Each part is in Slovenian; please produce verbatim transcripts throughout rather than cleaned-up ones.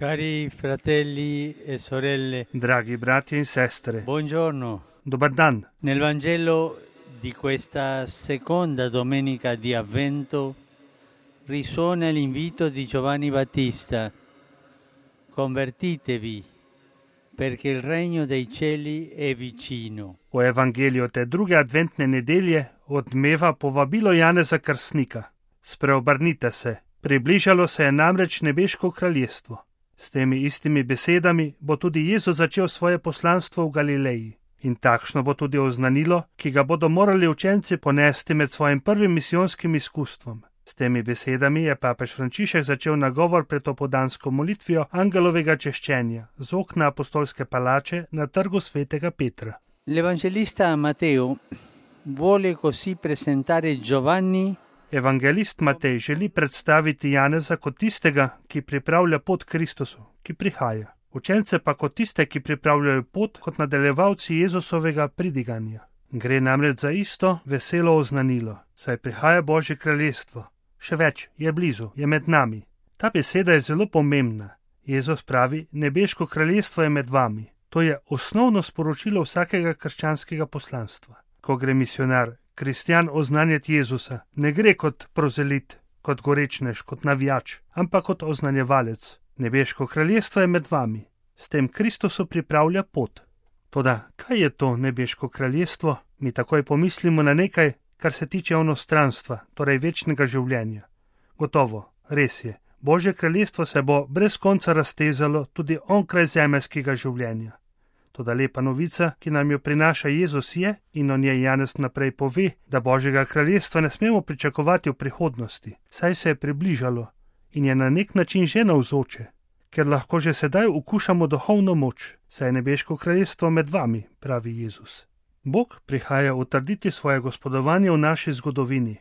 Cari fratelli e sorelle, Draghi brati e sestre, buongiorno. dobar dan. Nel Vangelo di questa seconda domenica di Avvento risuona l'invito di Giovanni Battista: convertitevi, perché il regno dei cieli è vicino. V Evangeliju te druge adventne nedelje odmeva povabilo Janeza Krstnika. Spreobrnite se, približalo se je namreč nebeško kraljestvo. S temi istimi besedami bo tudi Jezus začel svoje poslanstvo v Galileji. In takšno bo tudi oznanilo, ki ga bodo morali učenci ponesti med svojim prvim misijonskim izkustvom. S temi besedami je papež Frančišek začel nagovor pred opodansko molitvijo angelovega češčenja z okna apostolske palače na trgu svetega Petra. L'Evangelista Matteo vuole così presentare Giovanni Evangelist Matej želi predstaviti Janeza kot tistega, ki pripravlja pot Kristusu, ki prihaja. Učence pa kot tiste, ki pripravljajo pot kot nadaljevalci Jezusovega pridiganja. Gre namreč za isto veselo oznanilo, saj prihaja Božje kraljestvo. Še več, je blizu, je med nami. Ta beseda je zelo pomembna. Jezus pravi, nebeško kraljestvo je med vami. To je osnovno sporočilo vsakega krščanskega poslanstva. Ko gre misionar, kristjan oznanjati Jezusa, ne gre kot prozelit, kot gorečnež, kot navijač, ampak kot oznanjevalec. Nebeško kraljestvo je med vami. S tem Kristusu pripravlja pot. Toda, kaj je to nebeško kraljestvo? Mi takoj pomislimo na nekaj, kar se tiče onostranstva, torej večnega življenja. Gotovo, res je, Božje kraljestvo se bo brez konca raztezalo tudi onkraj zemeljskega življenja. Toda lepa novica, ki nam jo prinaša Jezus, je, in o njej Janez naprej pove, da Božjega kraljestva ne smemo pričakovati v prihodnosti, saj se je približalo in je na nek način že navzoče, ker lahko že sedaj okušamo duhovno moč, saj je nebeško kraljestvo med vami, pravi Jezus. Bog prihaja utrditi svoje gospodovanje v naši zgodovini,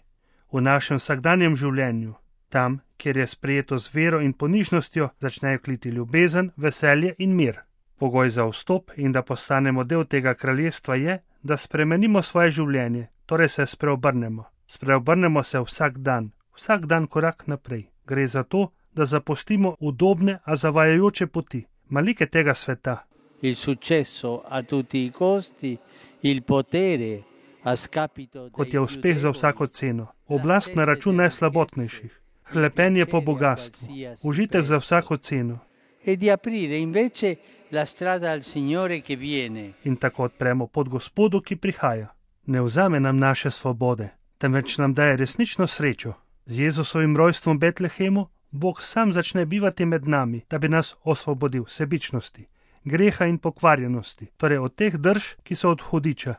v našem vsakdanjem življenju. Tam, kjer je sprejeto z vero in ponižnostjo, začnejo kliti ljubezen, veselje in mir. Pogoj za vstop in da postanemo del tega kraljestva je, da spremenimo svoje življenje, torej se spreobrnemo. Spreobrnemo se vsak dan, vsak dan korak naprej. Gre za to, da zapustimo udobne, a zavajajoče poti, malike tega sveta. Il successo a tutti i costi, il potere a scapito dei Kot je uspeh za vsako ceno, oblast na račun najslabotnejših, hlepenje po bogastvu, užitek za vsako ceno. e di aprire invece la strada al Signore che viene. In tako odpremo pot Gospodu, ki prihaja. Ne vzame nam naše svobode, temveč nam daje resnično srečo. Z Jezusovim rojstvom v Betlehemu Bog sam začne bivati med nami, da bi nas osvobodil sebičnosti, greha in pokvarjenosti, torej od teh drž, ki so od hudiča,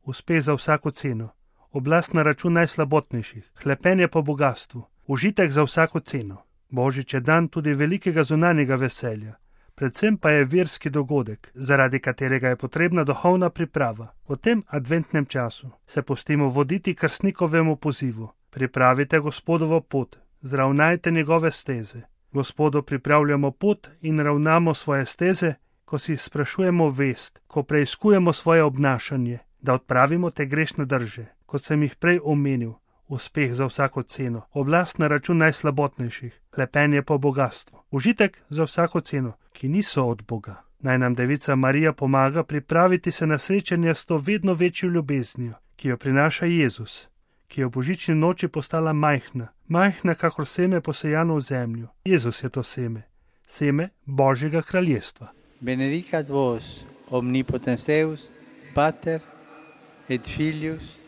uspeh za vsako ceno, oblast na račun najslabotnejših, hlepenje po bogastvu, užitek za vsako ceno. Božič je dan tudi velikega zunanjega veselja, predvsem pa je verski dogodek, zaradi katerega je potrebna duhovna priprava. V tem adventnem času se pustimo voditi krstnikovemu pozivu. Pripravite Gospodovo pot, zravnajte njegove steze. Gospodu pripravljamo pot in ravnamo svoje steze, ko si sprašujemo vest, ko preiskujemo svoje obnašanje, da odpravimo te grešne drže, kot sem jih prej omenil. Uspeh za vsako ceno, oblast na račun najslabotnejših, hlepenje po bogastvu, užitek za vsako ceno, ki niso od Boga. Naj nam Devica Marija pomaga pripraviti se na srečanje s to vedno večjo ljubeznijo, ki jo prinaša Jezus, ki je v božični noči postala majhna, majhna kakor seme posejano v zemlju. Jezus je to seme, seme Božjega kraljestva. Benedicat vos omnipotens Deus, Pater et Filius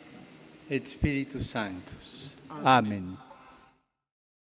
et Spiritus Sanctus. Amen.